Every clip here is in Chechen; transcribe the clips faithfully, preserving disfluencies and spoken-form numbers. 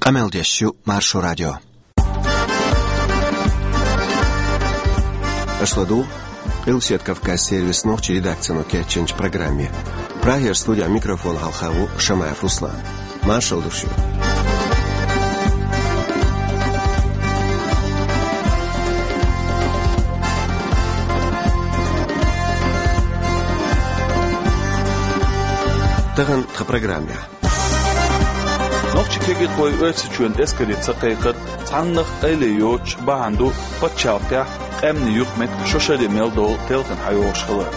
Къамел деш ю Маршо радио. Аша ладугӀу Къилбаседа Кавказ сервисан нохчийн редакцино кечйинчу программе. Прагера студехь микрофон хьалха ву Шамаев Руслан. Маршалла ду шуьга. Тахана тхан программехь. Нохчийн кегирхой Оьрсийчоьнан эскаре ца кхайкхар цхьаннах къайле йоцуш бахьана ду пачхьалкхехь къаьмнийн юкъаметтиг шо шаре мел долу телхина хьайогӀуш хилар.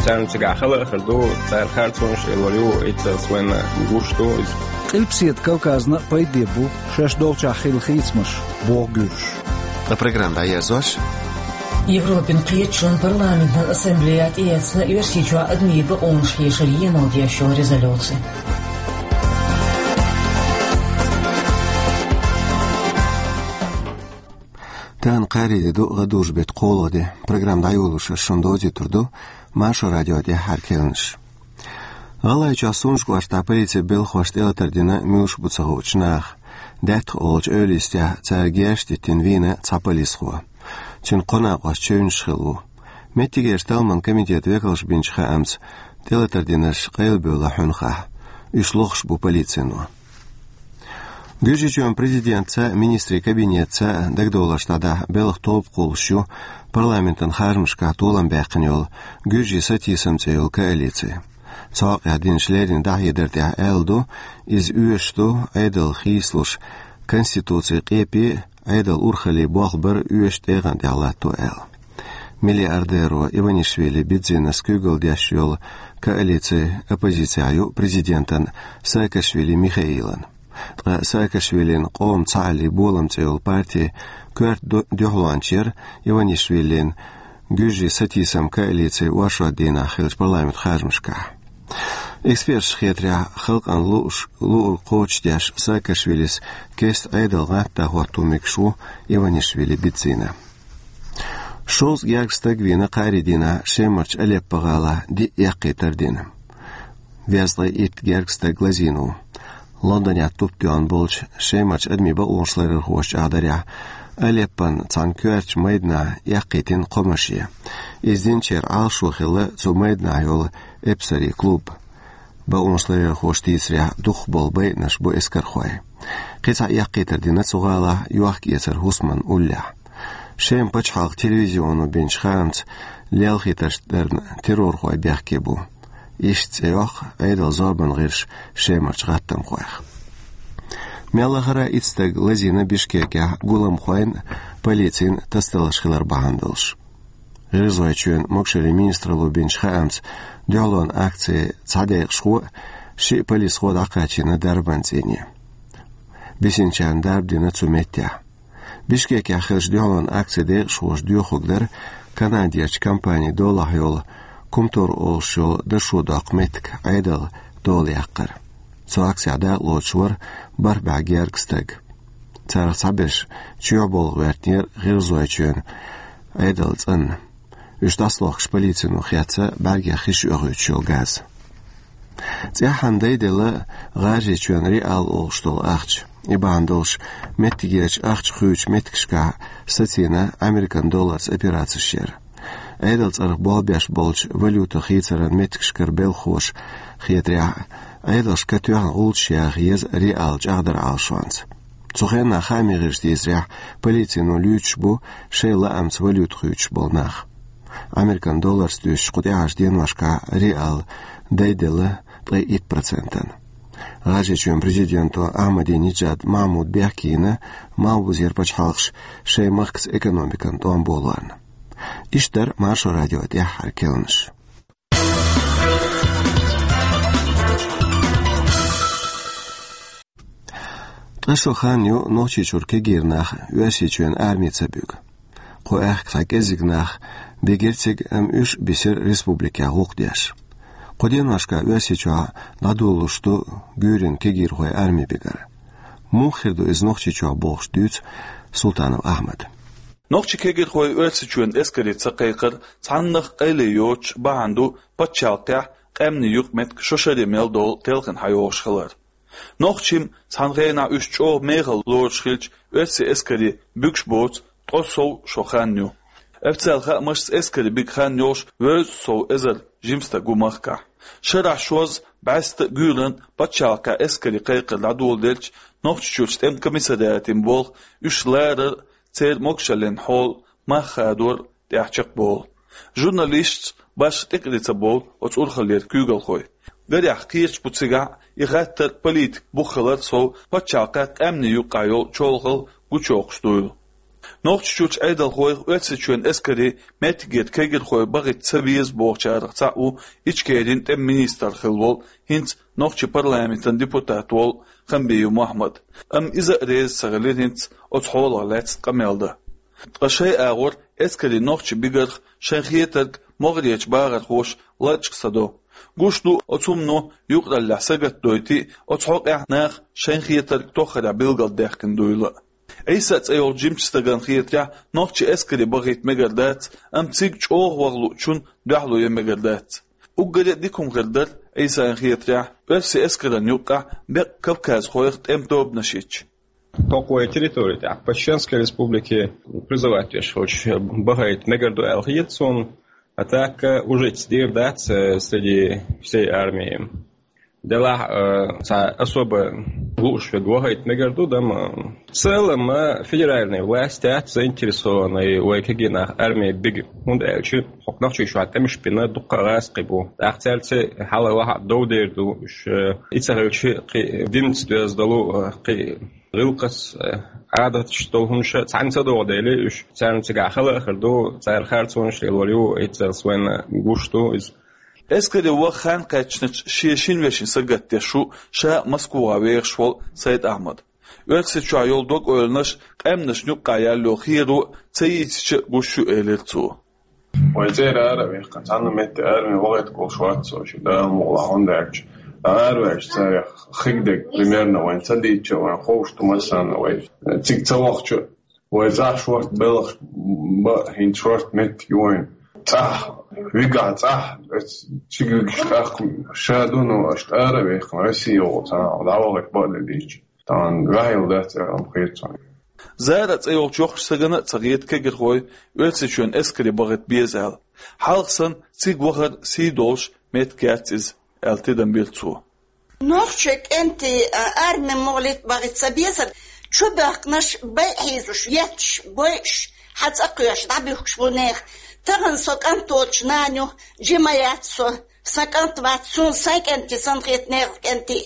Царна цигахь хала а хир ду, цара харцонаш а лур ю, эццахь вайна гуш ду иза. Къилбаседа Кавказна а пайде бу шаьш долчохь хилла хийцамаш, боху гуьржаша. Ткъа программа дӀаерзош. Европин кхеташонан парламентан ассамблея тӀеэцна Оьрсийчохь адамийн бакъонаш хешаран емал деш йолу резолюци. Тахана кхаарин де ду, гӀадужу беттан кхоалгӀа де. Программа дӀайолош аса шуна довзуьйтур ду Маршо радион тӀаьххьара кхаьънаш. ГӀалгӀайчохь Сунжа-ГӀоштахь полицин белхахошна тӀелатар дина муьлш бу ца хуучу наха. Даьттах олучу эвла йистехь цара герзаш диттина вийна цхьа полисхо. Цуьнан кхо накъост чевнаш хилла ву. Меттигерчу талламан комитетан векалша бинчу хаамца, тӀелатар динарш къайлабевлла хьуьнхахь. Уьш лохуш бу полицино. Гуьржийчоьнан президентаца а, министрийн кабинетаца а дагадовларш дӀадахьа белхан тоба кхуллуш ю парламентан харжамашкахь толам баьккхина йолу «Гуьржийн сатийсам» цӀе йолу коалици. Цу хьокъехь динчу леррина дӀахьедар тӀехь аьлла ду, иза оьшуш ду Ӏедал хийцалуш, Конституцин къепе а, Ӏедалан урхаллин болх бар а оьшуш тӀегӀан тӀехь латто аьлла. Миллиардеро Иванишвили Бидзинас куьйгалла деш йолу коалици оппозицехь ю президентан Саакашвили Михаилан. Ткъа Саакашвилин «Къоман цхьааллин болам» цӀе йолу парти коьрта ду-, дуьхьалонча яра Иванишвилин «Гуьржийн сатийсам» коалици оршотан дийнахь хиллачу парламентан харжамашкахь. Эксперташна хетарехь, халкъана лууш, луург кхочушдеш Саакашвилис кеста Ӏедал гӀантда хӀотто мегаш ву Иванишвили Бидзина. Шовзткъа гергга стаг вийна кхаарин дийнахь Шемарчу Алеппо-гӀалахь, диъ эккхийтар дина. Везткъе итт гергга стаг лазийна ву. Лондонехь туп тоьхна болчу Шемарчу адамийн бакъонаш ларъярхоша чӀагӀдарехь, Алеппон цхьана коьртачу майданахь эккхийтина кхо машен. Иза динчеран Ӏалашо хилла цу майданахь йолу эпсарийн клуб. Бакъонаш ларъярхоша дийцарехь, дукхахболу байинарш бу эскархой. Кхин цхьа эккхийтар дина цу гӀалахь йохк-эцаран хӀусаман уллехь. Шеман пачхьалкхан телевизионо бинчу хаамца, лелхийтарш дарна террорхой бехке бу. Иштта цӀе йоккху Ӏедалан зорбанан гӀирсаша Шемарчу гӀаттамхойх. Мел лахара итт стаг лазийна Бишкекехь гуламхойн а, полицин а тасадаларш хилар бахьана долуш. ГӀиргӀазойчоьнан могушаллин министралло бинчу хаамца, дуьхьалонан акцин цхьа декъашхо а, шиъ полисхо а дӀакхачийна дарбан цӀийне. Бисинчарна дарба дина цу меттехь. Бишкекехь хиллачу дуьхьалонан акцин декъашхоша доьхург дара Канадерчу компанин долахь йолу Кумтор олуш йолу дашо доккху меттиг Ӏедалан дола яккхар. Цу акцехь дакъалоцуш вара бархӀ бӀе гергга стаг. Царах цхьаберш чоьхьа болх гӀоьртинера ГӀиргӀазойчоьнан Ӏедалан цӀанна. Уьш дӀасалохкуш полицино хецна бӀаьргех хиш оьхуьйтуш йолу газ. ЦӀеххьана дайделла ГӀажарийчоьнан реал олуш долу ахча. И бахьана долуш меттигерчу ахча хуьйцучу меттигашкахь сацийна Американ долларца операцеш яр. Ӏедалан цӀарах болх беш болчу валюта хийцаран меттигашкара белхахоша хетарехь, Ӏедалшка тоьхна гӀулчаш яха еза реал чӀагӀдаран Ӏалашонца. Цу хенахь хаамийн гӀирсаша дийцарехь, полицино луьйчуш бу шайн лаамца валюта хуьйцуш болу нах. Американ долларца дуьстича, кху тӀаьхьарчу деношкахь реал дайделла ткъе итт процентана. ГӀажарийчоьнан президенто Ахьмадинеджад Махьмуда бехке йина Малхбузера пачхьалкхаш шайн махкаца экономикан тӀом болорна. Иштта дара Маршо радион тӀаьххьара кхаьънаш. Ткъа шо хан ю Нохчийчуьра кегийра нах Оьрсийчоьнан арми ца буьгу. Кху аьхка цхьа кӀеззиг нах бигира цига, амма уьш а бисира республикехь гӀуллакх деш. Кху деношкахь Оьрсийчохь дӀадолалуш ду гуьйренан кегийрхой арми бигар. Муха хир ду иза Нохчийчохь бохуш дуьйцу Султанов Ахьмада. Нохчийн кегирхой Оьрсийчоьнан эскаре ца кхайкхар цхьаннах къайле йоцуш бахьана ду пачхьалкхехь къаьмнийн юкъаметтиг шо шаре мел долу телхина хьайогӀуш хилар. Нохчийн цхьан хенахь уьш чӀогӀа мехала лоруш хилча, оьрсийн эскаре буьгуш боцу ткъо сов шо хан ю. Официалан хаамашца эскаре бига хан йолуш вевза сов эзар жима стаг ву махкахь. Шарахь шозза бӀаьста а, гуьйранна пачхьалкхехь эскаре кхайкхар дӀадоладелча, Нохчийчуьрчу тӀеман комиссариатийн болх уьш ларар а, церан могушаллин хьол мах хадор а тӀехь чекхболу. Журналисташца башха тӀекӀеле ца бовлу оцу урхаллера куьйгалхой. Гарехь, кхеташ бу цигахь и хаттар политикан бух хилар сов, пачхьалкхехь къаьмнийн юккъехь йолу чолхалла гучуйоккхуш дуйла. Нохчийчуьрчу Ӏедалхойх Оьрсийчоьнан эскаре меттигера кегирхой бахийта ца веза бохучарах цхьаъ ву Ичкерин тӀеман министр хилла волу, хӀинца нохчийн парламентан депутат волу Хамбиев Мохьмад. Амма иза а реза ца хилира хӀинца оцу хьолах лаьцна къамел дан. Ткъа шайн агӀор эскаре нохчий бигарх шайн хетарг могӀарерчу бахархоша лачкъа ца до. Гуш ду, оцу хӀумано юкъараллехь сагатдойтий, оцу хьокъехь наха шайн хетарг тоххарехь билгалдаьккхина дуйла а. Ӏийса цӀе йолчу жимачу стагана хетарехь, нохчий эскаре бахийта мегар дац, амма цига чӀогӀа ваха луучунна дуьхьало ян мегар дац. Уггаре а дика хӀума хир дара, Ӏийсана хетарехь, оьрсийн эскаран юккъехь беккъа кавказхойх тӀеман тобанаш йитча. ХӀокху вай территори тӀехь, по Чеченской Республике, призывать веш хилча, бахийта мегар ду аьлла хета суна, а так, э, уже дийр дац, э, среди всей армии. Делахь, э, цхьа особо лууш верг вахийта мегар ду, дама. В целом, э, федеральная власть яц заинтересованная вай кегий нах армии бига, хӀунда аьлча хӀокху Нохчийчохь тӀемаш бина дуккха а гӀазкхий бу. ТӀаккха цаьрца хьала-ваха дов дер ду уьш, э, и ца хилча, кхин динца доьзна долу, э, кхин гӀиллакхаш, э, Ӏадаташ долу хӀуманаш цхьаьна ца догӀу дела, уьш царна цигахь хала а хир ду, цара харцонаш лелор ю, эццалц вайна гуш ду иза. Эскаре ваха хан кхаьчначу шен шина вешин сагатдеш ву ша а Москвахь вехаш волу Сайд-Ахьмад. Оьрсийчохь йолу дог-ойланаш къаьмнашна юккъехь яьлла йолу херо ца йийцича гуш ю, элира цо. Вай цӀера ара а ваьккхина, цхьана метте арми вахийта гуш вац со, ши Дала мукъалахь, хӀунда аьлча ара а ваьлча, царех хигдерг примерно вайна ца дийцча, вайна ховш ду массарна вай. Цига ца вахча, вай цӀахь шорта белхаш бан, хӀинца шорта меттиг ю вайна. ЦӀахь, вигахь цӀахь, ас цига вигаш тӀаккха ша ду, но аш тӀара а ваьккхина, Россия йолу цхьана дӀавахийта бан а ца дийцча. Тахана ваьхьийла дац аьлла хета суна. Зара цӀе йолчу йоккхачу стагана а ца хета кегирхой Оьрсийчоьнан эскаре бахийта беза аьлла. Хьалха санна, цига вахар сий долуш меттиг яц иза, аьлла тидам бира цо. Нохчийн кӀентий, а, арми мугӀлийта бахийта ца безар, чубоьхкинарш, байъа хьийзош, етташ, бойуш, хьан цӀа кхоьхьуш, дӀабуьхкуш бу нехан. Тахана со кӀант волчу нана ю, жима яц со. Сан кӀант вац, суна сайн кӀентий санна хета нехан кӀентий.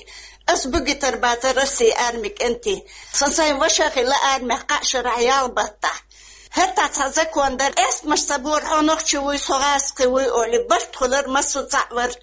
Ас буьгуьйтур бацара Россин армин кӀентий. Сан сайн ваша а хилла армехь кхаа шарахь ялх баттахь. ХӀетахь цхьа закон дара, эстамаш ца бора, хьо нохчи вуй, со гӀазкхи вуй олий, барт хуьлура, массо а цхьаъ вара.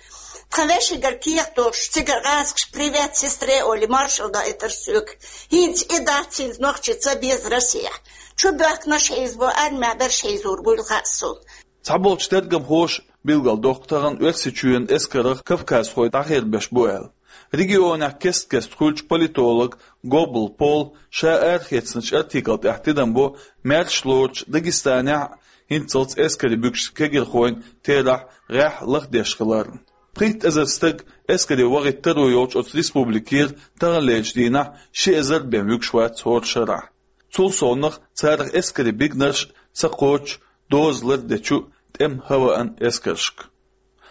Тхан вешигара кехат дохуш, цигара гӀазкхаша «Привет сестре» олий, маршалла доуьйтура соьга. ХӀинца и дац, хӀинца нохчи ца беза Россехь. Чубоьхкинарш хьийзабо, армехь берш хьийзор буйла хаьа суна. Цхьаболчу тергамхоша билгалдоккху тахана Оьрсийчоьнан эскарах кавказхой дӀахербеш бу аьлла. Регионехь кест-кеста хуьлучу политолог Гоббл Пол ша арахецначу артикла тӀехь тидам бо маьрша лоручу Дагестанехь а хӀинццалц эскаре буьгуш кегирхойн терахь гӀеххьа лахдеш хиларна. Пхийтта эзар стаг эскаре вахийта таро йолчу оцу республикера таханлерчу дийнахь ши эзар бен вуьгуш вац хӀора шарахь. Цул совнах царах эскаре бигнарш ца кхочу доза лардечу тӀеман ХВН эскаршка.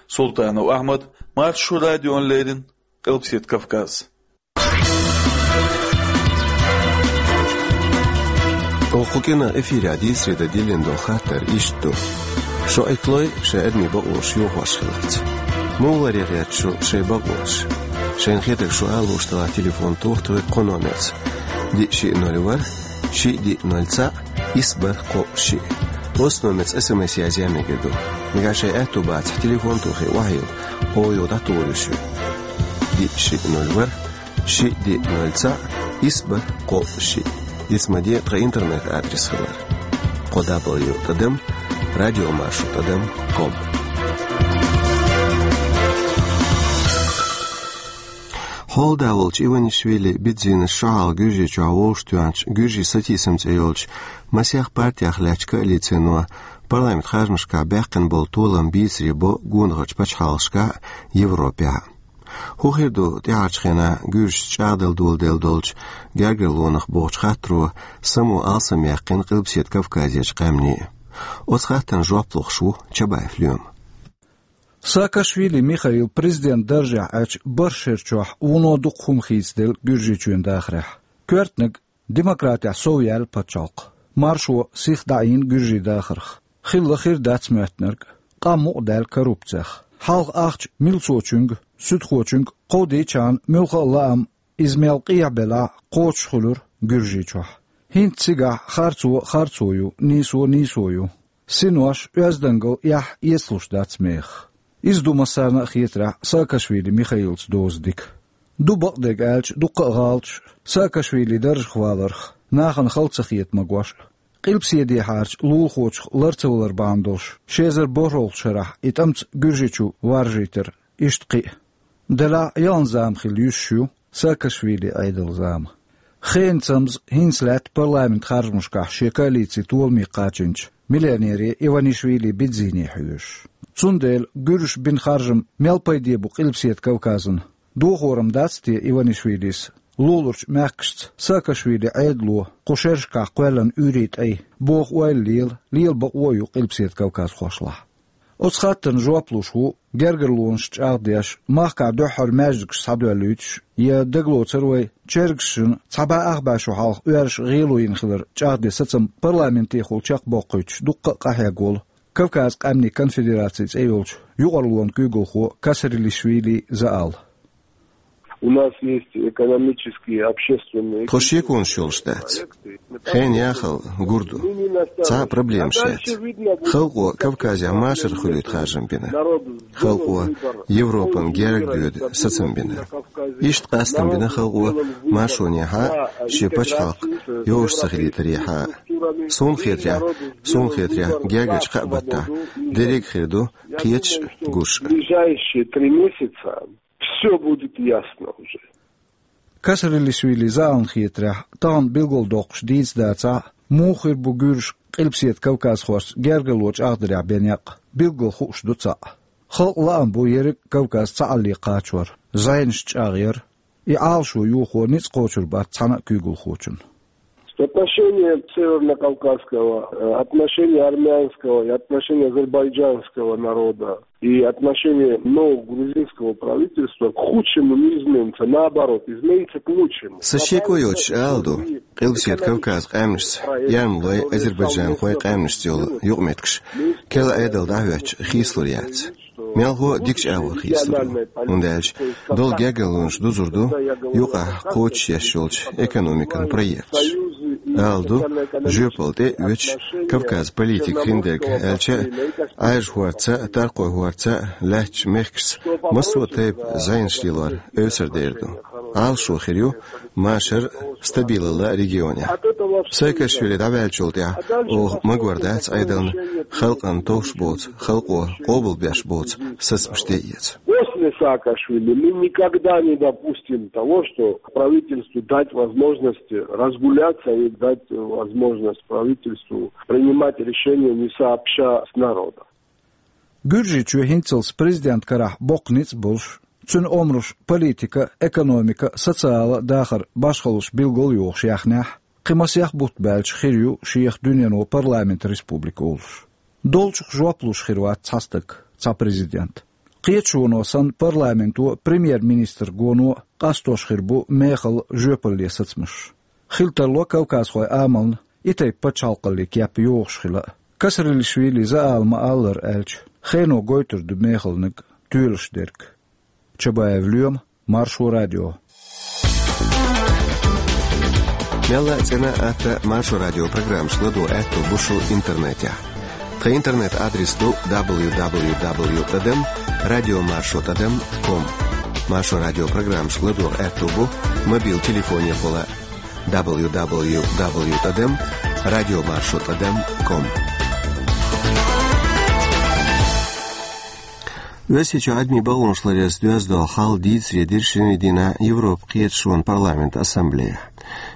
Султанов Ахьмад, Маршо радиона леррина, Къилбаседа Кавказ. Оха кху кӀиранах эфирехь дийцаре дан диллина долу хаттар иштта ду. Шо Ӏитталой шайн адамийн бакъонаш йохош хиларца? Муха ларъян гӀерта шу шайн бакъонаш? Шайна хетарг шу ала лууш делахь, телефон тоха тхоьга кху номерца: диъ шиъ ноль ворхӀ, шиъ диъ ноль цхьаъ, исс бархӀ кхоъ шиъ. Оцу номерца СМС язъян мегар ду. Нагахь шайн аьтто бацахь, телефон тохий, охьайилла, оха юха дӀатухур ю шуьга. Диъ шиъ ноль ворхӀ, шиъ диъ ноль цхьаъ, исс бархӀ кхоъ шиъ. Диц ма де тхан интернет-адрес хилар: кхо дабл ю тӀадам радиомаршо тӀадам ком. Хьолада волчу Иванишвили Бидзинас шо хьалха Гуьржийчохь вовшахтоьхначу Гуьржийн сатийсам цӀе йолчу масех партех лаьттачу коалицино парламент харжамашкахь баьккхина болу толам бийцаре бо гонахарчу пачхьалкхашкахь а, Европехь а. ХӀун хир ду тӀаьхьарчу хенахь гуьржашца чӀагӀдала доладелла долчу гергарлонах бохучу хаттаро само алсамъяьккхина Къилбаседа Кавказерчу къаьмнийн? Оцу хаттарна жоп лохуш ву Чабаев Лоьма. Саакашвили Михаил президент даржехь Ӏачу бархӀ шерачохь вуно дукха хӀума хийцаделла Гуьржийчоьнан дахарехь. Коьртаниг демократехь сов яьлла пачхьалкх. Маршо сиха дӀаийна гуьржийн дахарх. Хилла хир дац моьттинарг, къам мукъадаьлла коррупцех. Хьалха ахча милцочуьнга, суьдхочуьнга кховдийчхьана, муьлхха а лаам, иза мел къехьа белахь а, кхочушхуьлура Гуьржийчохь. ХӀинца цигахь харцо харцо ю, нийсо нийсо ю. Синош, оьздангалла эхь эцалуш дац мехах. Иза ду массарна а хетарехь Саакашвили Михаилца доза дика. Ду бакъдерг аьлча, дуккха а гӀалаташ Саакашвили даржах валарх, нахана хала ца хета магош а. Къилбаседехьарчу лулахочух лар ца валар бахьана долуш, ши эзар борхӀалгӀачу шарахь и тӀамца Гуьржийчу варжийтар, иштта кхин а. Делахь а ялх зама хилла юьсуш ю Саакашвили Ӏедалан зама. Хенан цамза хӀинца лаьтта парламентан харжамашкахь шен коалици толаме кхачийначу миллионере Иванишвили Бидзине хьоьжуш. Цундела гуьржаша бина харжам мел пайде бу Къилбаседа Кавказна? Дохорам дац те Иванишвилис луларчу мехкашца Саакашвили Ӏедало кху шерашкахь кхоьллина уьйрийн тӀай, боху ойла лела, лела бакъо а ю Къилбаседа Кавказхошлахь? Оцу хаттарна жоп луш ву гергарлонаш чӀагӀдеш, махкахь дуьххьара маьждигаш схьадоьллуьйтуш, я дагалоцур вай, чергашна цхьа бӀе ах бӀе шо хьалха оьрсаша гӀело йина хилар чӀагӀден сацам парламентехула чекхбоккхуьйтуш дуккха а къахьегна волу Кавказан къаьмнийн конфедераци цӀе йолчу юкъарлонан куьйгалхо Касрилишвили Заал. У нас есть экономические, общественные... Тхо шеконаш йолуш дац. Хенан яхалла гур ду. Цхьа а проблемаш яц. Халкъо Кавказехь машар хуьлуьйту харжам бина. Халкъо Европан герга доьду сацам бина. Иштта къастам бина халкъо маршонехьа, шен пачхьалкх йозуш ца хилийтарехьа. Суна хетарехь, суна хетарехь, гергарчу кхаа баттахь дерриг а хир ду, кхеташ а, гуш а. Ближайшие три месяца всё будет ясно уже. Касрилишвили Заална хетарехь, тахана билгалдоккхуш дийца дацахь а, муха хир бу гуьржаша Къилбаседа Кавказхошца гергарло чӀагӀдарехь бен некъ, билггал хууш ду цхьаъ. Халкъан лаам бу ерриг а Кавказ цхьаалле кхачор, зӀенаш чӀагӀъяр. И Ӏалашо йохо ницкъ кхочур бац цхьана а куьйгалхочун. Отношения севернокавказского, э, отношения армянского и отношения азербайджанского народа и отношение нового грузинского правительства к худшему не изменится, наоборот, изменится к лучшему. Сан шеко йоцуш ала ду, Къилбаседа Кавказан къаьмнашца, эрмалойн, азербайджанхойн къаьмнашца йолу юкъаметтигаш керла Ӏедал дӀахӀоьттича хийцалур яц. Мелхо а дикачу агӀор хийцалур ю, хӀунда аьлча долу гергарлонаш дузур ду юкъахь кхочушъеш йолчу экономикан проекташ. Ала ду, жоьпалла тӀе а оьцуш, Кавказан политика хиндерг аьлча а, Ӏаьржа хӀорца а, Таркхой хӀорца а лаьттачу мехкашца массо а тайпа зӀенаш лелор эвсар дер ду. Ӏалашо хир ю машар а, стабилалла а регионехь. Саакашвили дӀаваьллачул тӀаьхьа оха магор дац Ӏедална халкъана товш боцу, халкъо къобалбеш боцу сацамаш тӀеэца. После Саакашвили мы никогда не допустим того, что правительству дать возможность разгуляться и дать возможность правительству принимать решения не сообща с народом. Гуьржийчоь хӀинццалц президентан карахь боккха ницкъ болуш, цуьнан омраш политика, экономика, социала дахар башхаллаш билгал йохуш яхнехь, кхин масех бутт баьлча хир ю шех дуьнено парламент республика олуш. Долчух жоп луш хир вац цхьа стаг, цхьа президент. Кхеташоно санна, парламенто премьер-министр гоно къастош хир бу мехала, жоьпалле сацамаш. Хила тарло кавказхойн амална и тайпа пачхьалкхаллин кеп йохуш хила а. Касрилишвили Заала ма-аллара аьлча, хено гойтур ду мехалниг тоьлуш дерг. Чабаев Лоьма, Маршо радио. Мелла а цӀена а, атта а Маршо радио программаш ладогӀа аьтто бу шун интернетехь. Тхан интернет-адрес ду дабл ю дабл ю дабл ю тӀадам радио маршо тӀадам ком. Маршо радио программаш ладогӀа аьтто бу мобил телефонехула дабл ю дабл ю дабл ю тӀадам радио маршо тӀадам ком. Оьрсийчохь адамийн бакъонаш ларъярца доьзна долу хьал дийцаре дира шинарин дийнахь Европан Кхеташонан парламентан ассамблея.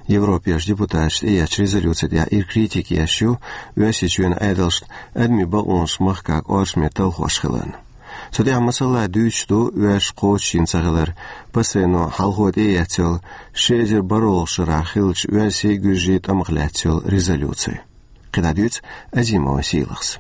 Европерчу депутаташа тӀеэцначу резолюци тӀехь ира критика еш ю Оьрсийчоьнан Ӏедалшна адамийн бакъонаш махкахь кӀоршаме талхош хиларна. Цу тӀехь масала дуьйцуш ду оьрсаша кхочушйина ца хилар ПАСЕ-но хьалхо тӀеэцна йолу ши эзар бархӀалгӀачу шарахь хиллачу оьрсийн, гуьржийн тӀамах лаьцна йолу резолюци. КхидӀа дуьйцу Азимова Сийлахьас.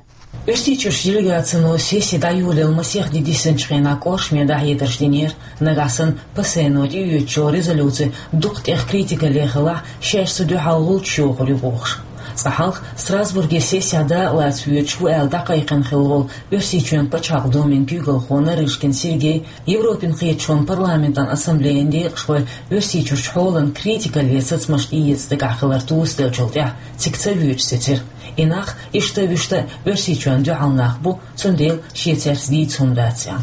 Оьрсийчуьрчу делегацино сесси дӀайолаялла масех де дисинчу хенахь кӀоршаме дӀахьедарш динера, нагахь санна ПАСЕ-но тӀеоьцучу резолюци дукха тӀех критикале хилахь, шаьш цу дуьхьал гӀулч йохур ю бохуш. Цкъа хьалха Страсбурге сессехь дакъалаца воьдуш ву аьлла дӀакхайкхина хилла волу Оьрсийчоьнан Пачхьалкх Думин куьйгалхо Нарышкин Сергей Европин кхеташонан парламентан ассамблеян декъашхой Оьрсийчуьрчу хьолан критикале сацамаш тӀеэца дагахь хилар тосаделлачул тӀаьхьа цига ца воьдуш сецира. И нах иштта а вуьшта а Оьрсийчоьнна дуьхьал нах бу, цундела шен цаьрца дийца хӀума дац аьлла.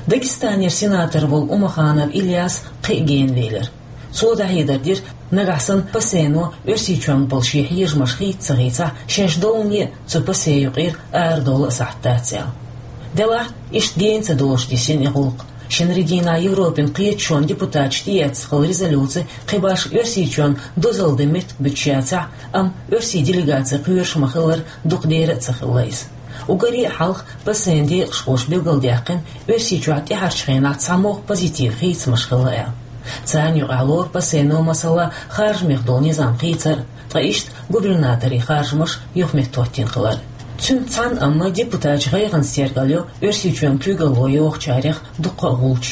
Дагестанера сенатор волу Умаханов Ильяс кхин а гена велира. Цо дӀахьедар дира, нагахь санна ПАСЕ-но Оьрсийчоьнга болу шен хьежамаш хийца ца хийцахь, шаьш доллане а цу ПАСЕ юкъера арадовла а сахьт дац аьлла. Делахь, иштта гена ца долуш дисина и гӀуллакх. Шинарин дийнахь Европин кхеташонан депутаташа тӀеэцна хилла резолюци кхин башха Оьрсийчоьнна дозалла дан меттиг буьтуш яцахь, амма оьрсийн делегаци кхоьруш ма-хиллара, дукха дера а ца хилла иза. Уггаре а хьалха ПАСЕ-н декъашхоша билгалдаьккхина, Оьрсийчохь тӀаьхьарчу хенахь цхьамогӀа позитив хийцамаш хилла аьлла. Царна юкъахь лору ПАСЕ-но, масала, харжамех долу низам хийцар, ткъа иштта губернаторийн харжамаш юхаметтахӀоттийна хилар. Цуьнца цхьаьна амма депутаташа гӀайгӀанца тергал йо Оьрсийчоьнан куьйгалхо йохучарех дуккха а гӀулч.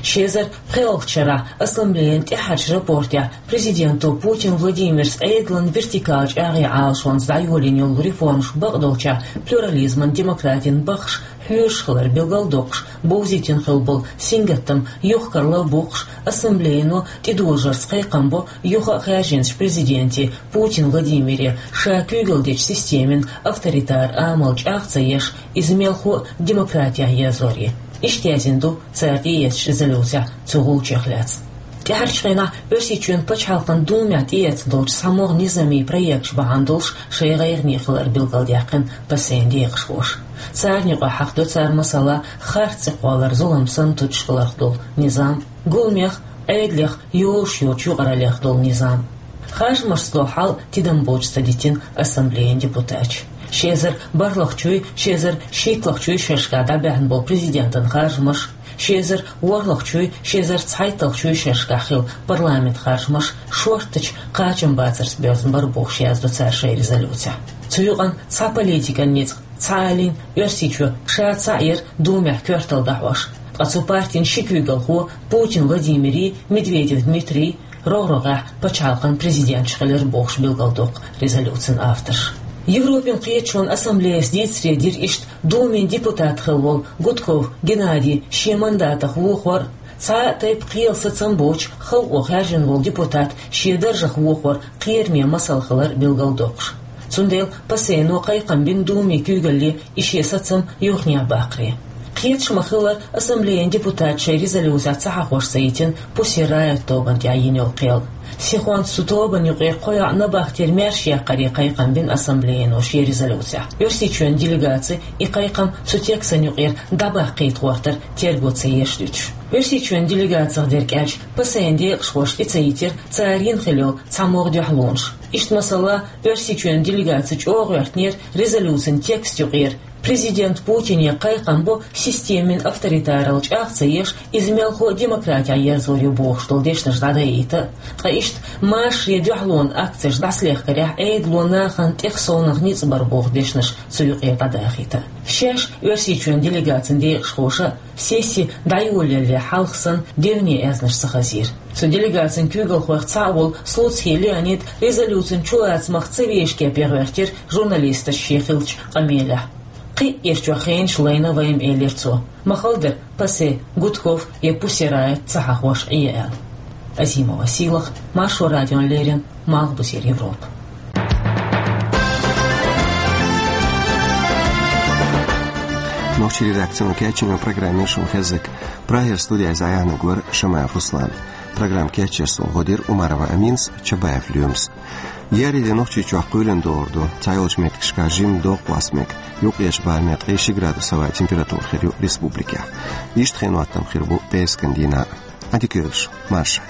Ши эзар пхоьалгӀачу шарахь ассамблеян тӀаьххьарчу рапортехь президенто Путин Владимирс Ӏедалан вертикалан чӀагӀъян Ӏалашонца дӀайолийна йолу реформаш бакъдолчохь плюрализман, демократин баххаш хьоьжуш хилар билгалдоккхуш, бовзийтина хилла болу сингаттам юхакарла а боккхуш, ассамблеяно тӀедожарца кхайкхам бо юха а хаьржинчу президенте Путин Владимире ша куьйгалла дечу системин авторитар амал чӀагӀ ца еш, иза мелхо а демократехь язъяр. Иштта яздина ду цара тӀеэцначу резолюцехь цу гӀулчех лаьцна. ТӀаьхьарчу хенахь Оьрсийчоьнан Пачхьалкхан Думехь тӀеэцна долчу цхьамогӀа низамийн проекташ бахьана долуш шайн гӀайгӀане хилар билгалдаьккхина ПАСЕ-н декъашхоша. Царна юкъахь хьахдо цара, масала, харц цӀе кхоллар зулам санна туьтуш хиларх долу низам, гуламех, Ӏедалех йолуш йоцучу юкъараллех долу низам. Харжамашца долу хьал тидам боцуш ца дитина ассамблеян депутаташа. Ши эзар бархӀлагӀчуй, ши эзар шийтталагӀчуй шерашкахь дӀабаьхьна болу президентан харжамаш, ши эзар ворхӀлагӀчуй, ши эзар цхьайтталгӀчуй шерашкахь хилла парламентан харжамаш шорттачу кхачамбацарца боьзна бара бохуш яздо цара шайн резолюцехь. Цу юкъана цхьа политикан ницкъ, цхьа а лин Оьрсийчоь ша цхьаъ яра Думехь коьрталла дӀахьош. Ткъа цу партин ши куьйгалхо, Путин Владимирий, Медведев Дмитрий, рогӀ-рогӀехь пачхьалкхан президенташ хилира бохуш билгалдоккху резолюцин авторш. Европин кхеташонан ассамблеяс дийцаре дира иштта Думин депутат хилла волу Гудков Геннадий шен мандатах вохор а, цхьа а тайпа кхелан сацам боцуш халкъо хаьржина волу депутат шен даржах вохор кхераме масал хилар билгалдоккхуш. Цундела ПАСЕ-но кхайкхам бина Думин куьйгалле и шен сацам юханехьа баккхаре. Кхеташ ма-хиллара, ассамблеян депутаташа шайн резолюцехь ца хьахош ца йитина Пусси Райот тобанна тӀехь йина йолу кхел. Сихонца цу тобанна юкъера кхо йоӀ набахтера маьрша яккхаре кхайкхам бина ассамблеяно шен резолюцехь. Оьрсийчоьнан делегаци и кхайкхам цу текстан юкъера дӀабаккхийта гӀортар терго ца еш дуьтуш. Оьрсийчоьнан делегацех дерг аьлча, ПАСЕ-н декъашхоша тӀе ца йитира цара йина хилла йолу цхьамогӀа дуьхьалонаш. Иштта, масала, Оьрсийчоьнан делегаци чӀогӀа гӀоьртинера резолюцин текст юкъера: президент Путине кхайкхам бо системин авторитаралла чӀагӀ ца еш, иза мелхо а демократехь язъяр ю бохуш долу дешнаш дӀадайта а, ткъа иштта маршо, дуьхьалонан акцеш дӀасалехкарехь Ӏедало нахана тӀех совнах ницкъ бар боху дешнаш цу юкъера дӀадахийта а. Шаьш Оьрсийчоьнан делегацин декъашхоша сесси дӀайолаялале хьалха санна дерриге аьзнаш ца хазийра. Цу делегацин куьйгалхойх цхьаъ волу Слуцкий Леонид резолюцин чулацамах ца вешке пхьоьгӀертира журналисташа шен хиллачу къамелехь. Кхин а ирчу хенаш лайна вай-м, элира цо. Ма-хала дара ПАСЕ Гудков я Пусси Райот ца хьахош Ӏе аьлла. Азимова Сийлахь, Маршо радиона леррина, Малхбузера Европа. Нохчийн редакцино кечйинчу программе шуна хезнарг. Прагера студехь иза Ӏаьхьнарг вара Шамаев Руслан. Программа кечъеш схьахьоьхура Умарова Аминас, Чабаев Лоьмас. Еарин де Нохчийчохь кхоьлина догӀур ду. Цхьайолчу меттигашкахь жимма доккха васт мега. Юккъерчу барамехь ткъе ши градус хӀаваан температура хир ю республикехь. Иштта хин хӀоттам хир бу пӀераскан дийнахь. Ӏадика йойла шун, марша.